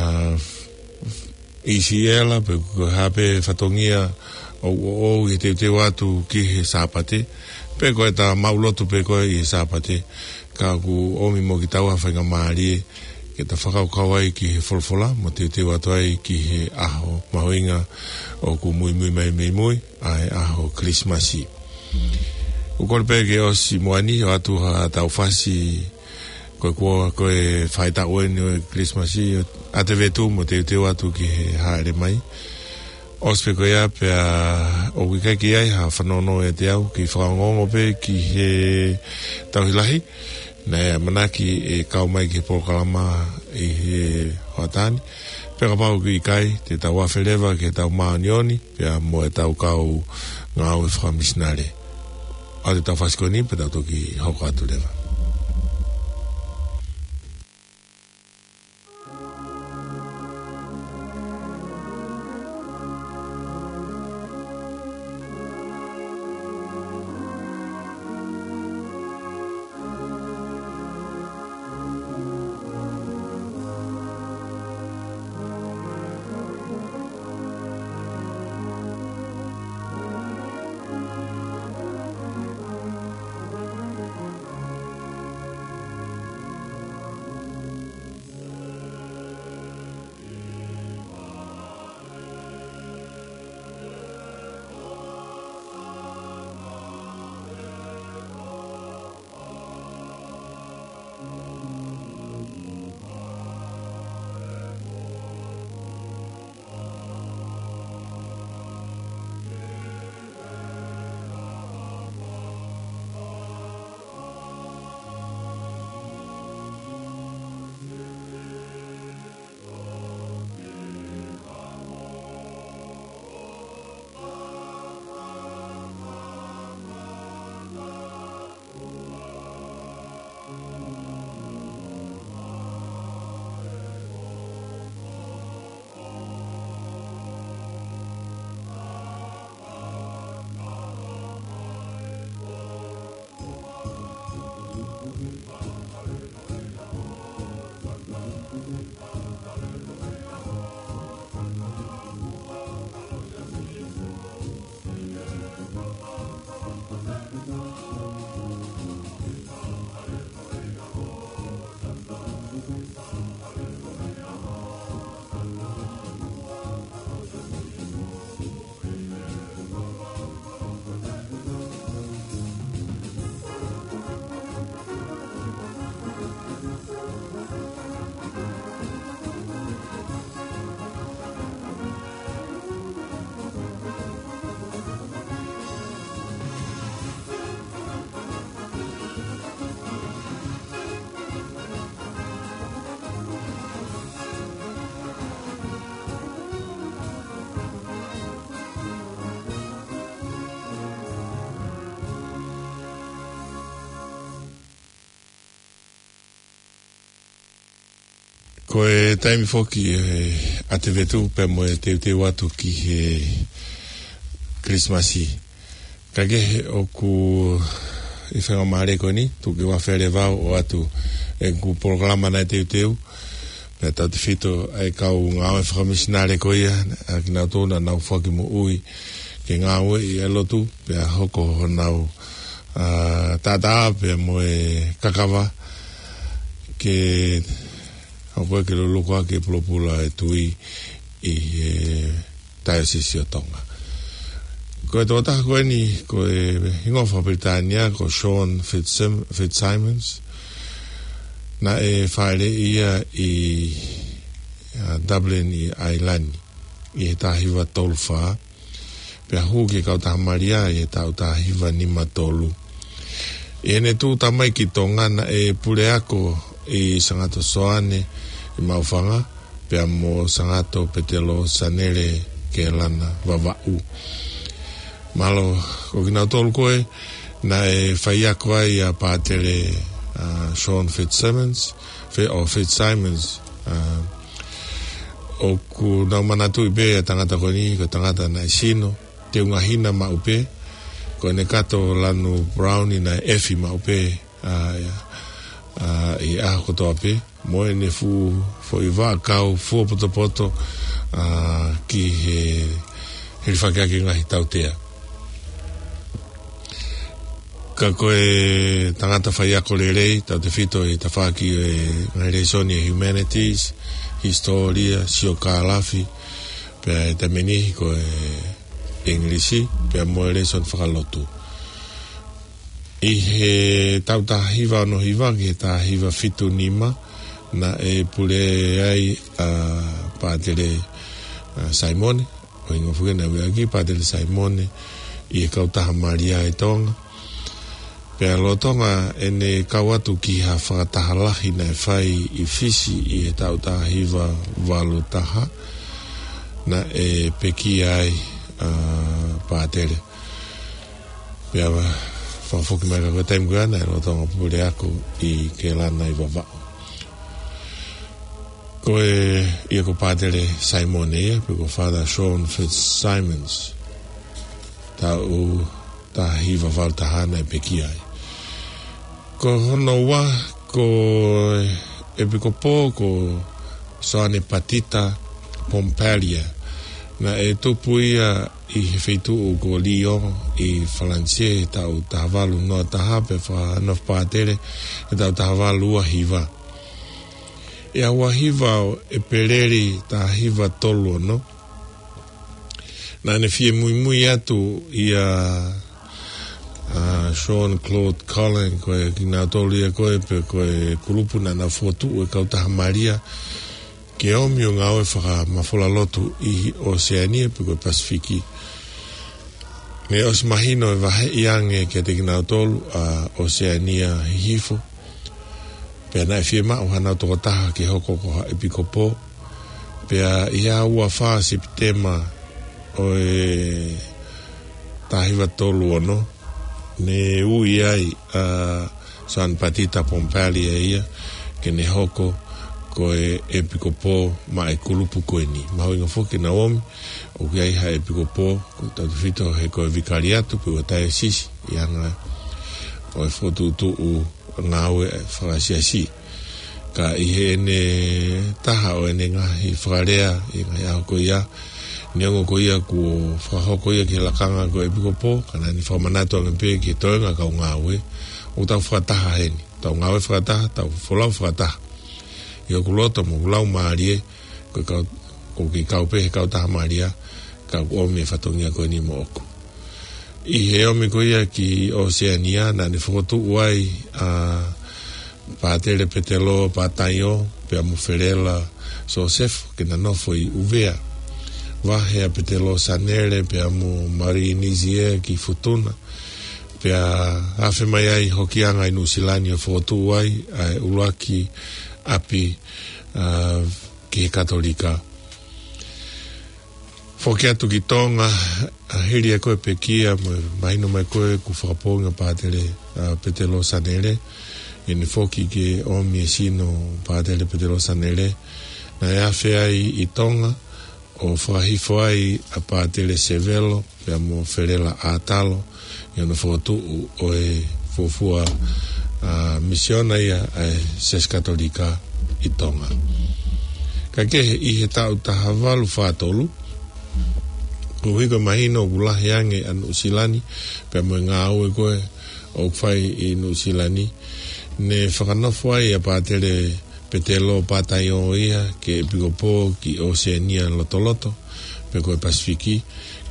ʻi Siela, pe ko e hā pē fatongia ʻoku ʻoʻou ʻi he teuteu atu ki he Sāpate, pe ko ʻeta maʻulotu pē ko ē ʻi he Sāpate, ka kuo ʻomi mo kitaua ha faingamālie ke ta fakakaukau ai ki he folofola, mo teuteu atu ai ki he ʻaho mahuʻinga ʻoku muimui mai mei mui, ʻa e ʻaho Kilisimasi. ʻOku ou kole pē ke ʻosi moʻoni ʻo ʻoatu haʻatau fasi, ko e kuo, ko e faʻahitaʻu eni ʻo e Kilisimasi, ʻa e vetu mo teuteu atu ki he hāʻele mai. ʻOsi pē ko ia pea ʻoku ʻikai ke ʻi ai ha fanongo ʻiate au, kiʻi fakaongoongo pē ki he tauhi lahi, naʻe ʻamanaki ʻe kau mai ki he polokalama ʻi he hoʻatā ni. Pea kapau ʻoku ʻikai, te tau afe leva ki heʻetau māʻoniʻoni, pea mo ʻetau kau ngāue fakamisinale. ʻOatu ʻetau fasi ko eni, pea tau toki hoko atu leva. Ko e taimi foki ʻa e ʻAtevetu pea mo e teuteu atu ki he Kilisimasi. Ka kehe ʻoku ʻi he faingamālie ko eni, tuku ke u afe leva ʻo ʻoatu ʻeku polokalama naʻe teuteu. Pea tautefito ʻa e kau ngāue fakamisinale ko ia, ʻa kinautolu naʻa nau foaki moʻui ke ngāueʻi ʻa e lotu, pea hoko honau, ʻa, taʻataʻa pea mo e kakava ke hoko ʻo ke luluku ʻa e pulopula ʻo e tui ʻi he Taiosisi ʻo Tonga. Ko e tokotaha ko eni, ko e hingoa fakapilitānia, ko Sean Fitzsim-, Fitzsimons. Naʻe fāʻeleʻi ia ʻi, ʻa, Dublin ʻi ʻAilani ʻi he taha hiva tolu fā. Pea hū ki he Kautaha Malia ʻi he taʻu taha hiva nima tolu. ʻI heʻene tuʻu tamaiki ʻi Tonga naʻe puleako ʻi Sangato Soane ʻi Maʻufanga, pea mo Sangato Petelo Sanele Kelana Vavaʻu. Mahalo ko kinautolu ko ē naʻe faiako ai ʻa Pātele, ʻa, Sean Fitzsimons, Fe-, ʻo Fitzsimons, ʻa, ʻoku nau manatuʻi pē ʻa e tangata ko eni, ko e tangata naʻe sino, teunga hina maʻu pē, ko ʻene kato lanu brown naʻe ʻefi maʻu pē, ʻa, ʻa, ʻi he ʻaho kotoa pē, mo ʻene fuʻu foʻi vaʻakau fuopotopoto, ʻa, ki he hilifakiʻaki ngaahi tautea. Ka ko e tangata faiako lelei, tautefito ʻi he tafaʻaki ʻo e ngaahi lēsoni ʻa e humanities, hisitōlia, siokālafi, pea ʻi he taimi ʻe niʻihi ko e ʻIngilisi, pea mo e lēsoni fakalotu. ʻI he taʻu taha hiva ono hiva ki he taha hiva fitu nima, naʻe pule ai ʻa Pātele, ʻa, Saimone, ʻo hingoa foki naʻe ui ʻaki Pātele Saimone, ʻi he Kautaha Malia ʻi Tonga. Pea lolotonga ʻene kau atu ki ha fakataha lahi naʻe fai ʻi Fisi ʻi he taʻu taha hiva valu taha, naʻe pekia ai ʻa Pātele. Pea fakafoki mai ka ko e taimi ko ia naʻe lolotonga puleako ʻi Kelana ʻi Vavaʻu. Ko e, ia ko Pātele Saimone ia, pe ko Father Sean Fitzsimons. Taʻu taha hiva valu taha naʻe pekia ai. Ko hono ua, ko e ʻEpikopō, ko Soane Patita Pompalia. Naʻe tupu ia ʻi he feituʻu ko Lyon ʻi Falanisē he taʻu taha valu noa taha, pea fakanofo pātele he taʻu taha valu ua hiva. ʻI he ua hiva ʻo ʻEpeleli taha hiva tolu ono, naʻa ne fie muimui atu ʻia, ʻa, Jean-Claude Colin, ko e kinautolu ia ko ē, pe ko e kulupu naʻa na fokotuʻu e Kautaha Malia, ke ʻomi ʻo ngāue fakamafola lotu ʻi ʻOseania pe ko e Pasifiki. Naʻe ʻosi mahino ʻe vaheʻi ange kiate kinautolu ʻa ʻOseania Hihifo. Pea naʻe fiemaʻu hanau tokotaha ke hoko ko ha ʻepikopō. Pea ʻi he ua fā Sepitema ʻo e taha hiva tolu ono, ne ui ai ʻa San Patita Pompalia ia ke ne hoko ko e ʻepikopō maʻa e kulupu ko eni. Mahuʻinga foki ke nau ʻomi, ʻoku ʻi ai ha ʻepikopō, ko e tautefito he ko e vikariato pe ko e taiosisi, ʻi he anga ʻo e fokotuʻutuʻu ngāue fakasiasi. Ka ʻi heʻene taha ʻo ʻene ngaahi fakalea ʻi he ngaahi ʻaho ko ia, neongo ko ia kuo fakahoko ia ki he lakanga ko e ʻepikopō, ka naʻa ne fakamanatu ange pē ki he toenga kau ngāue, ʻoku tau fakataha heni, tau ngāue fakataha, tau folau fakataha. ʻI hoku loto mo hoku laumālie, ko e kau, ʻoku ke kau pē he Kautaha Malia, ka ʻoku ʻomi e fatongia ko eni moʻoku. ʻI he ʻomi ko ia ki ʻOseania, naʻa ne fokotuʻu ai ʻa Pātele Petelo Pataio, pea mo Felela Sosefo, ke na nofo ʻi ʻUvea. Vahe ʻa Petelo Sanele, pea mo Marie Nizier ki Futuna. Pea afe mai ai hokiʻanga ʻi Nuʻusila ni ʻo fokotuʻu ai ʻa e ʻuluaki ʻapi, ʻa, ki he Katolika. Foki atu ki Tonga, ʻa, hili ʻa e ko e pekia, mo e mahino mai ko ē kuo fakapoongi ʻa Pātele, ʻa, Petelo Sanele, ʻene foki ke ʻomi e sino Pātele Petelo Sanele, Naʻe afe ai ʻi Tonga, ʻo fakahifo ai ʻa Pātele Sevelo pea mo Felela ʻAtalo ʻi hono fokotuʻu ʻo e fuofua, ā, misiona ia ʻa e Siasi Katolika ʻi Tonga. Kae kehe, ʻi he taʻu taha valu fā tolu, koeʻuhi ko e mahino ʻoku lahi ange ʻa Nuʻusila ni pea mo e ngāue ko ē ʻoku fai ʻi Nuʻusila ni, ne fakanofo ai ʻa Pātele Petelo Pātaio ia ke ʻepikopō ki ʻOseania Lotoloto, pe ko e Pasifiki,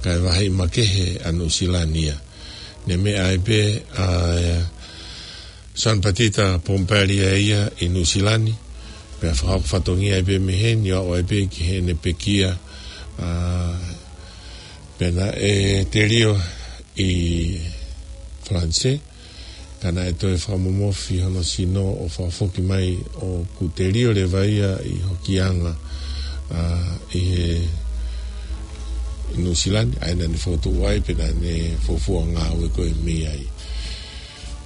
kae vaheʻi makehe ʻa Nuʻusila ni ia. Ne meʻa ai pē ʻa Soane Patita Pompallier ia ʻi Nuʻusila ni, pea fakahoko fatongia ai pē mei heni ʻo aʻu ai pē ki heʻene pekia, ā, pea naʻe telio ʻi Falanisē, ka naʻe toe fakamomofi hono sino ʻo fakafoki mai ʻoku telio leva ia ʻi hokianga, ā, ʻi he Nuʻusila ni, ʻa ia naʻa ne fokotuʻu ai, pea naʻa ne fuofua ngāue ko ē mei ai.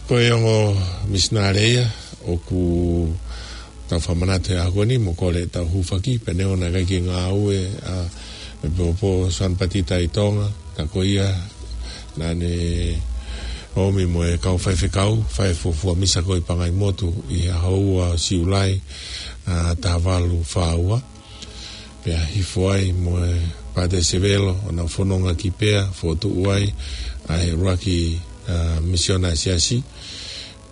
Ko e ongo misinale ia ʻoku tau fakamanatu he ʻaho ko eni mo kole ʻetau hūfaki, pea neongo naʻe ʻikai ke ngāue ʻa e ʻEpikopō Soane Patita ʻi Tonga, ka ko ia naʻa ne ōmi mo e kau faifekau, fai e fuofua misa ko ē ʻi Pangaimotu ʻi he ʻaho ua ʻo Siulai, ā, taha valu fā ua. Pea hifo ai mo e Pātele Sevelo ʻo nau fononga ki Pea, fokotuʻu ai ʻa e ʻuluaki, ā, misiona ʻa e Siasi.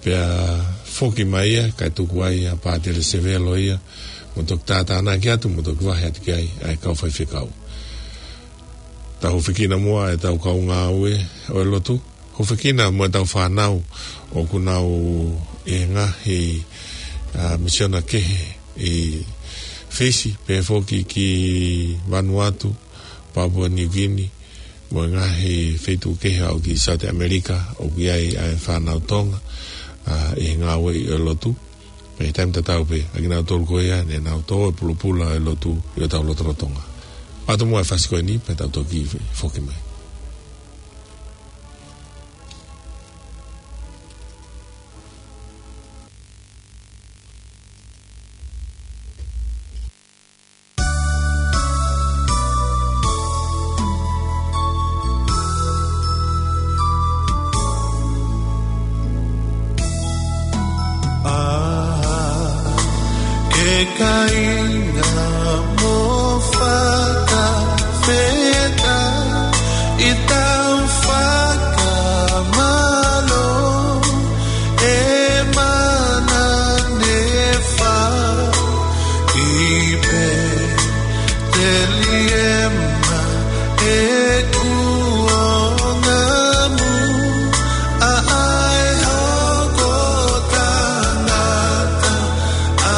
Pea foki mai ia, kae tuku ai ʻa Pātele Sevelo ia, mo toki tātānaki atu, mo toki vahe atu ki ai ʻa e kau faifekau. Tau hūfekina muʻa ʻetau kau ngāue ʻo e lotu, hūfekina mo ʻetau fānau ʻoku nau ʻi he ngaahi, ā, misiona kehe ʻi Fisi, pea foki ki Vanuatu, Papua New Guinea, mo e ngaahi feituʻu kehe ʻo aʻu ki South America, ʻoku ʻi ai ʻa e fānau Tonga, ā, ʻi he ngāue ʻo e lotu. Pea ʻi he taimi tatau pē, ʻa kinautolu ko ia ne nau tō e pulupula ʻo e lotu ʻi hotau lotolotonga. ʻOatu muʻa e fasi ko eni, pea tau toki foki mai. ʻA, ke kāinga mo fakafetaʻi, tau fakamālō, ʻe mana ne fai ʻi Peteliema ʻeku ongo muli, ʻa e hoko tangata ʻa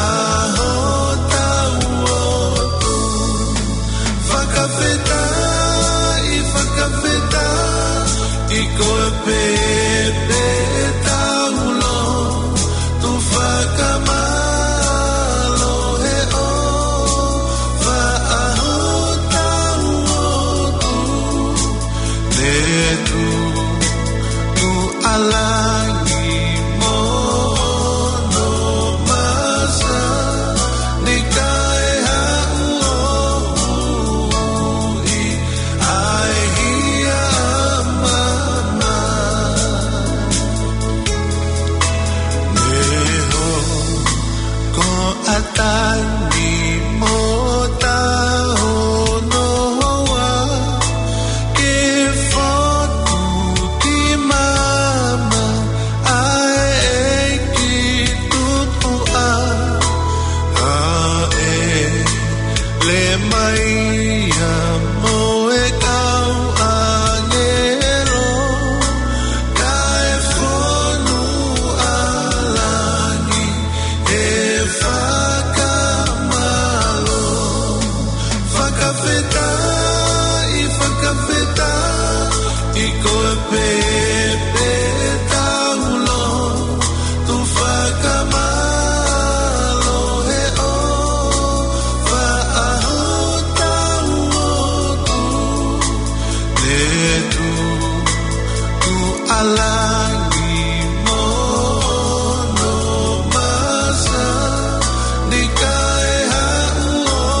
hotau ʻOtua. Fakafetaʻi, fakafetaʻi, ko e pēpē tau lotu fakamālō he ʻofa ʻa hotau ʻOtua. Ne tuku ʻa langi mo hono masani kae haʻu ʻo ui ʻa e hia ʻa māmani. Ne hoko ʻa Tani mo Tahonoa ke fotu ki māmani ʻa e ʻEiki Tupuʻa, ʻa e Lemaia mo e kau ʻāngelo, kae fonu ʻa langi he fakamālō. Fakafetaʻi, fakafetaʻi, ko e pēpē tau lotu fakamālō he ʻofa ʻa hotau ʻOtua. Ne tuku ʻa langi mo hono masani kae haʻu ʻo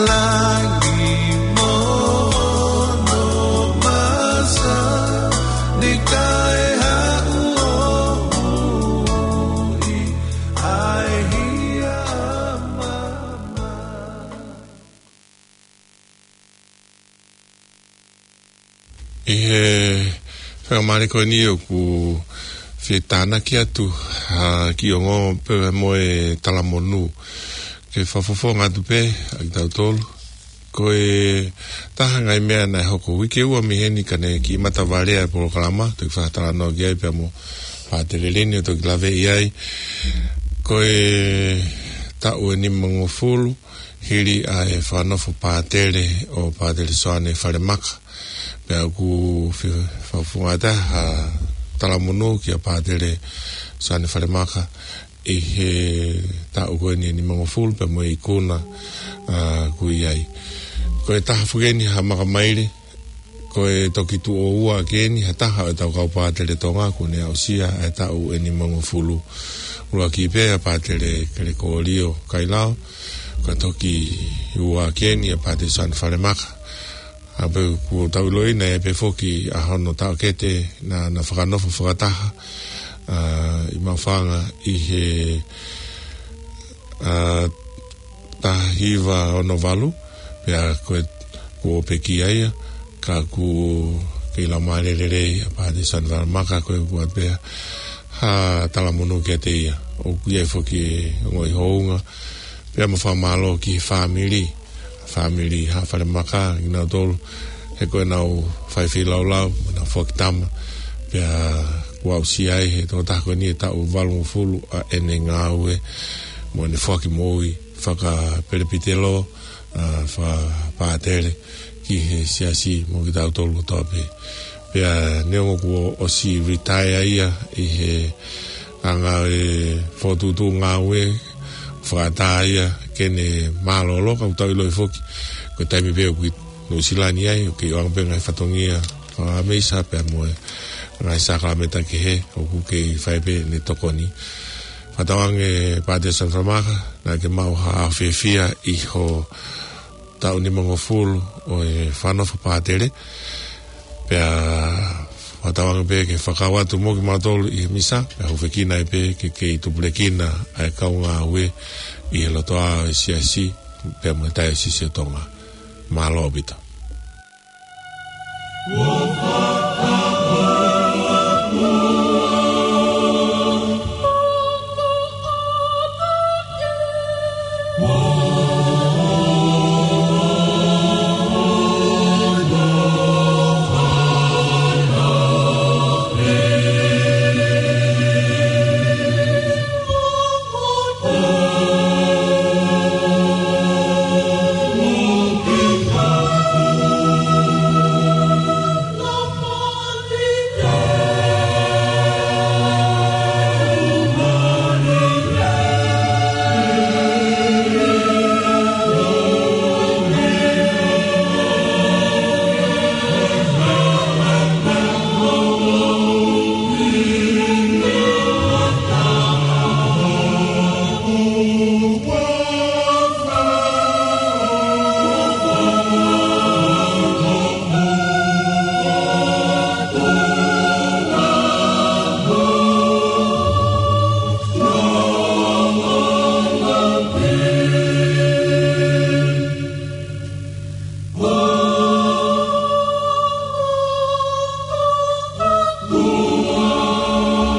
Langi mo hono masa, ni kae haʻu ʻo ui ʻa e hia mama. ʻI he faingamālie ko eni ʻoku fie tānaki atu ha kiʻi ongo pea mo e talamonū. Ke fakafofonga atu pē ʻa kitautolu. Ko e taha ngaahi meʻa naʻe hoko uike ua mei heni ka ne kiʻi matavalea e polokalama, toki fakatalanoa ki ai pea mo Pātele Leni ʻo toki laveʻi ai. Ko e taʻu ʻe nimangofulu, hili ʻa e fakanofo pātele ʻo Pātele Soane Falemaka. Pea ʻoku fie fakafofonga atu ha talamonū kia Pātele Soane Falemaka ʻi he taʻu ko eni ʻe nimangofulu pea mo e ikuna, ʻa, ʻoku ʻi ai. Ko e taha foki eni ha makamaile, ko e toki tuʻo ua ʻaki eni ha taha ʻo ʻetau kau pātele Tonga kuo ne aʻusia ʻa e taʻu ʻe nimangofulu. ʻUluaki pē ʻa Pātele Kelekōlio Kailao, ka toki ua ʻaki eni ʻa Pātele Soane Falemaka. ʻA pē kuo tau ʻiloʻi naʻe pē foki ʻa hono taʻokete naʻa na fakanofo fakataha, ʻa, ʻi Maʻufanga ʻi he, ʻa, taha hiva ono valu, pea ko e kuo pekia ia, ka ʻoku kei laumālie lelei ʻa Pātele Soane Falemaka, ko e ʻoku ʻi ai pē ha talamonū kiate ia. ʻOku ʻi ai foki e ongoʻi hounga, pea mo e fakamālō ki he fāmili, fāmili ʻa Falemaka, kinautolu, he ko ʻenau fai feilaulau, mo ʻenau foaki tama, pea kuo aʻusia ai he tokotaha ko eni e taʻu valungofulu ʻa ʻene ngāue, mo ʻene foaki moʻui fakapelepitelo, ʻa, fakapātele ki he siasi mo kitautolu kotoa pē. Pea neongo kuo ʻosi retire ia ʻi he anga e fokotuʻutuʻu ngāue, fakaʻatā ia ke ne mālōlō, ka ʻoku tau ʻiloʻi foki ko e taimi pē ʻoku ʻi Nuʻusila ni ai, ʻoku kei ʻoange pē ngaahi fatongia fakameisa pea mo e ngaahi sākalamēniti kehe, ʻoku kei fai pē ʻene tokoni. Fakatauange Pātele Soane Falemaka, naʻa ke maʻu ha fiefia ʻi hoʻo taʻu nimangofulu ʻo e fakanofo pātele. Pea fakatauange pē ke fakakau atu mo kimautolu ʻi he misa, pea hūfekina ai pē ke kei tupulekina ʻa e kau ngāue ʻi he lotoʻā ʻo e siasi, pea mo e taiosisi ʻo Tonga. Mālō ʻaupito.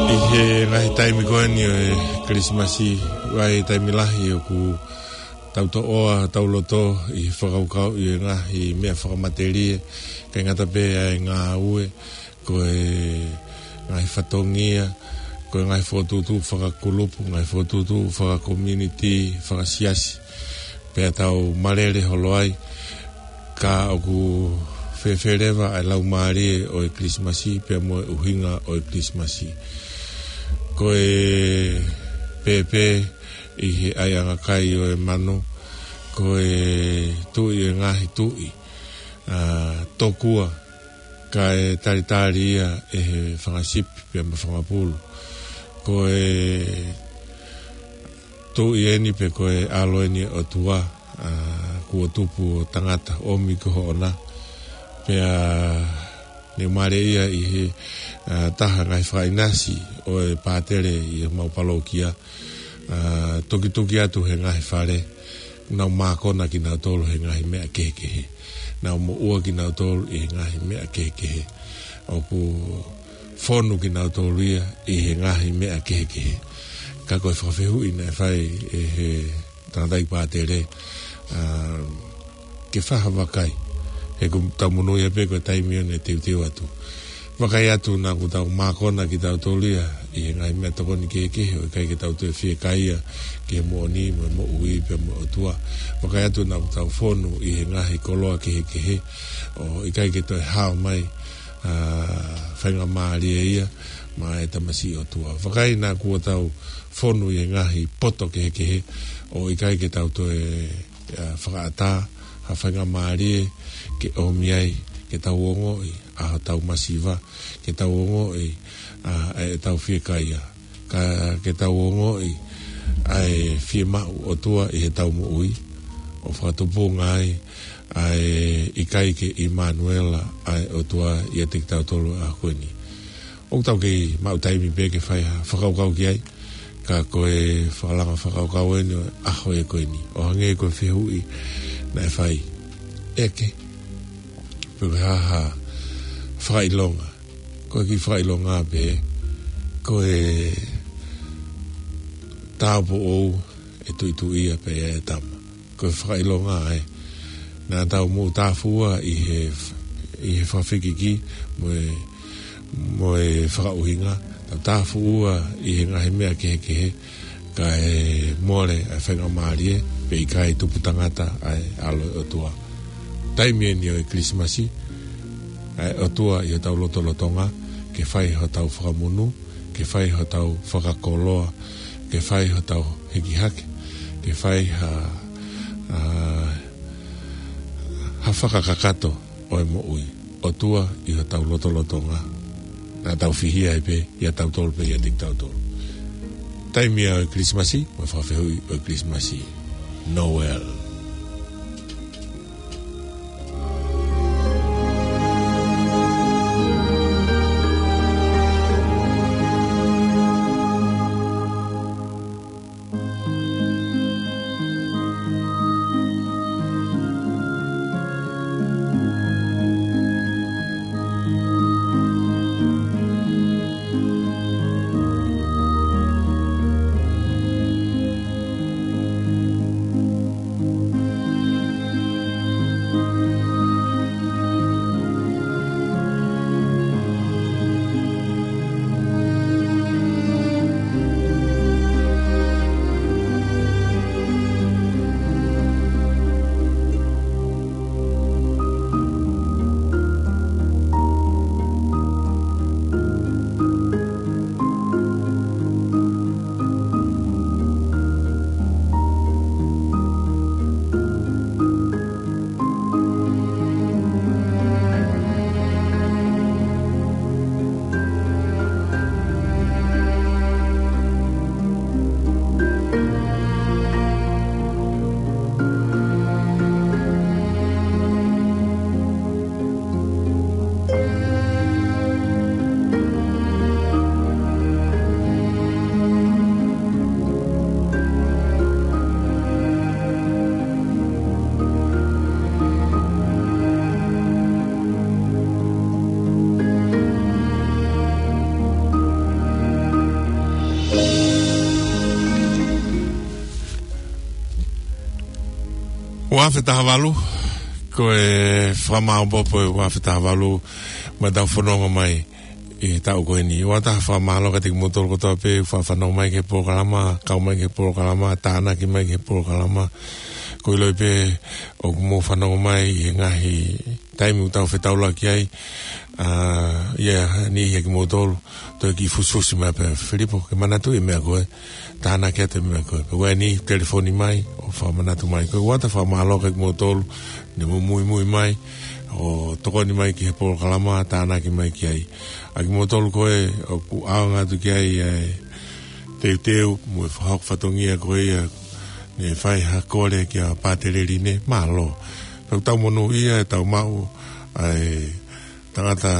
ʻI he ngaahi taimi ko eni ʻo e Kilisimasi, ʻoku ʻi ai e taimi lahi ʻoku tau toʻoa hotau loto ʻi he fakakaukauʻi e ngaahi meʻa fakamatelie, ʻikai ngata pē ʻa e ngāue, ko e ngaahi fatongia, ko e ngaahi fokotuʻutuʻu fakakulupu, ngaahi fokotuʻutuʻu fakakomiunitī, fakasiasi, pea tau malele holo ai, ka ʻoku fēfē leva ʻa e laumālie ʻo e Kilisimasi, pea mo e ʻuhinga ʻo e Kilisimasi. Ko e pēpē ʻi he ʻaiʻanga kai ʻo e manu, ko e Tuʻi ʻo e ngaahi tuʻi, ʻa, tokua, kae talitali ia ʻe he fanga sipi pea mo e fanga pulu. Ko e Tuʻi eni pe ko e ʻAlo eni ʻo e ʻOtua, ʻa, kuo tupu ʻo tangata, ʻomi ko hoʻona. Pea ne u mālieʻia ʻi he, ʻa, taha ngaahi fakaʻinasi ʻo e pātele ʻi homau palokia, ʻa, tukituki atu he ngaahi fale, nau mākona kinautolu he ngaahi meʻa kehekehe. Nau moʻua kinautolu ʻi he ngaahi meʻa kehekehe. ʻOku fonu kinautolu ia ʻi he ngaahi meʻa kehekehe. Ka ko e fakafehuʻi naʻe fai ʻe he tangataʻeiki pātele, ʻa, ke fai ha vakai. He ʻoku tau monūʻia pē ko e taimi ʻoku ne teuteu atu. Vakai atu naʻa kuo tau mākona kitautolu ia ʻi he ngaahi meʻatokoni kehekehe, ʻo ʻikai ke tau toe fiekaia ki he moʻoni mo e moʻui pea mo e ʻOtua. Vakai atu naʻa kuo tau fonu ʻi he ngaahi koloa kehekehe, ʻo ʻikai ke toe hao mai, ʻa, faingamālie ia maʻa e tamasiʻi ʻOtua. Vakai naʻa kuo tau fonu ʻi he ngaahi poto kehekehe, ʻo ʻikai ke tau toe, ʻa, fakaʻatā ha faingamālie ke ʻomi ai ke tau ongoʻi ʻa hotau masiva, ke tau ongoʻi, ʻa, ʻetau fiekaia, ka ke tau ongoʻi ʻa e fiemaʻu ʻOtua ʻi heʻetau moʻui, ʻo fakatupunga ai ʻa e ʻikai ke ʻImanuela ʻa e ʻOtua ʻiate kitautolu ʻa ko eni. ʻOku tau kei maʻu taimi pē ke fai ha fakakaukau ki ai, ka ko e fakalanga fakakaukau eni ʻo e ʻaho ʻe ko eni. ʻO hangē ko e fehuʻi naʻe fai, ʻeke pe ko e hā ha fakaʻilonga. Ko e kiʻi fakaʻilonga pē, ko e tāupoʻou ʻe tuʻituʻia pē ʻa e tama. Ko e fakaʻilonga ē. Naʻa tau moʻutāfua ʻi he, ʻi he fakafekiki mo e, mo e fakaʻuhinga. Tau tāfua ʻi he ngaahi meʻa kehekehe, kae mole ʻa e faingamālie, pe ʻikai tupu tangata ʻa e ʻAlo ʻo e ʻOtua. Taimi eni ʻo e Kilisimasi, ʻa e ʻOtua ʻi hotau lotolotonga, ke fai hotau fakamonū, ke fai hotau fakakoloa, ke fai hotau hiki hake, ke fai ha, ʻa, ha fakakakato ʻo e moʻui. ʻOtua ʻi hotau lotolotonga. Naʻa tau fihia ai pē, ʻiate kitautolu pē, ʻiate kitautolu. Taimi ia ʻo e Kilisimasi, mo e fakafehuʻi ʻo e Kilisimasi. Noel. Ua afe taha valu, ko e fakamāopoopo ʻo e ua afe taha valu, mo ʻetau fononga mai ʻi he taʻu ko eni. ʻOatu ha fakamālō kiate kimoutolu kotoa pē, fakafanongo mai ki he polokalama, kau mai ki he polokalama, tānaki mai ki he polokalama. Ko e ʻilo pē, ʻoku mou fanongo mai ʻi he ngaahi taimi ʻoku tau fetaulaki ai, ʻa, ʻi he niʻihi ʻa kimoutolu, toe kiʻi fusifusi mai pē, Filipo, ke manatuʻi e meʻa ko ē, tānaki atu e meʻa ko ē. Pea ko eni, telefoni mai, ʻo fakamanatu mai. Ko e ʻoatu ha fakamālō kiate kimoutolu, ne mou muimui mai, ʻo tokoni mai ki he polokalama, tānaki mai ki ai. ʻA kimoutolu ko ē, ʻoku ʻaonga atu ki ai, ʻa e teuteu, mo e fakahoko fatongia ko ia, Ne fai ha kole kia Pātele Line, mālō. Pea ʻoku tau monūʻia ʻetau maʻu ʻa e tangata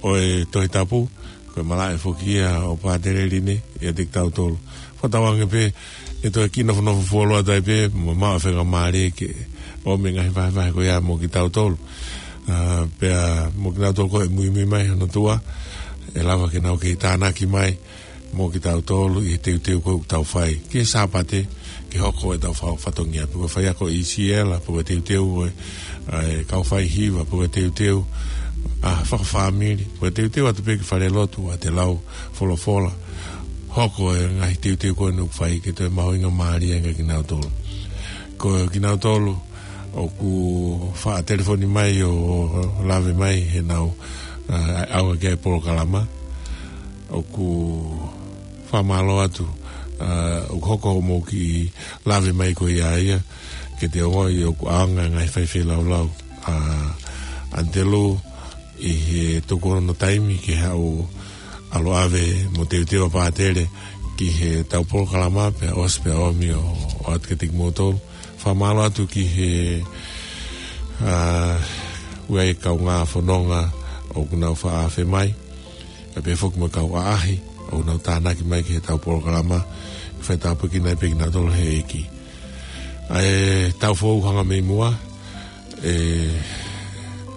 ʻo e Tohi Tapu, ko e malaʻe foki ia ʻo Pātele Line ʻiate kitautolu. Fakatauange pē ʻe toe kiʻi nofonofo fuoloa atu ai pē, mo maʻu faingamālie ke ʻomai e ngaahi vahevahe ko ia mo kitautolu. ʻA, pea mo kinautolu ko ē ʻe muimui mai hono tuʻa, ʻe lava ke nau kei tānaki mai mo kitautolu ʻi he teuteu ko ē ʻoku tau fai ki he Sāpate, ke hoko ʻetau fa-, fatongia, pe ko e faiako ʻi siela, pe ko e teuteu ʻo e, ʻa e kau faihiva, pe ko e teuteu, ʻa, fakafāmili, pe ko e teuteu atu pē ki falelotu ʻa e lau folofola. Hoko e ngaahi teuteu ko eni ʻoku fai ke toe mahuʻingamālie ange kinautolu. Ko kinautolu ʻoku faʻa telefoni mai ʻo lave mai heʻenau, ʻa, ʻaonga ki he polokalama. ʻOku fakamālō atu, ʻa, ʻoku hoko hoʻomou kiʻi lave mai ko ia ia, ke te ongoʻi ʻoku ʻaonga e ngaahi fai feilaulau ʻa ʻAnitelū ʻi he tuku hono taimi ke haʻu ʻo ʻave mo teuteu ʻa Pātele ki heʻetau polokalama pea ʻosi pea ʻomi ʻo, ʻo ʻoatu kiate kimoutolu. Fakamālō atu ki he, ʻa, ʻū kaungā fononga ʻoku nau faʻa afe mai, kae pehē foki mo e kau ʻaʻahi ʻoku nau tānaki mai ki heʻetau polokalama, faitāpuekina ai pē kinautolu ʻe he ʻEiki. ʻA e taʻu foʻou hanga mei muʻa, ʻe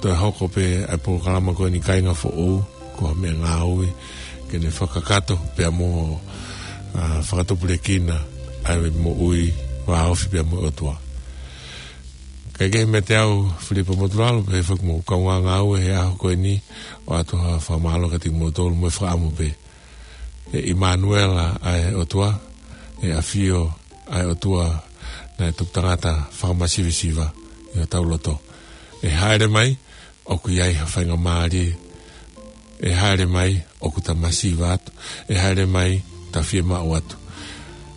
toe hoko pē ʻa e polokalama ko eni Kāinga Foʻou, ko ha meʻangāue ke ne fakakakato pea mo, ʻa, fakatupulekina ʻa e moʻui vāofi pea mo e ʻOtua. Kae kehe, meiate au Filipa Motulalo, pehē foki mo e kaungā ngāue he ʻaho ko eni, ʻoatu ha fakamālō kiate kimoutolu mo e fakaʻamu pē ʻe ʻImanuela ʻa e ʻOtua, ʻe ʻafio ʻa e ʻOtua naʻe tupu tangata fakamasivesiva ʻi hotau loto. ʻE hāʻele mai ʻoku ʻi ai ha faingamālie. ʻE hāʻele mai ʻoku ta masiva atu. ʻE hāʻele mai ta fiemaʻu atu.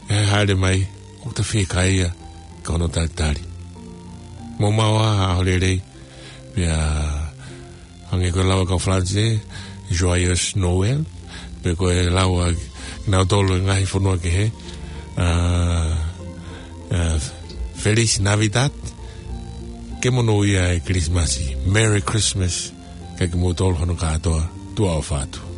ʻE hāʻele mai ʻoku ta fiekaia ki hono talitali. Mou maʻu ā ha ʻaho lelei, pea hangē ko e lau ʻa e kau Falanisē, Joyeux Noël, pe ko e lau ʻa kinautolu ʻi he ngaahi fonua kehe, ʻa, ʻa, Feliz Navidad, ke monūʻia e Kilisimasi, Merry Christmas, kiate kimoutolu hono kātoa, tuʻa ʻofa atu.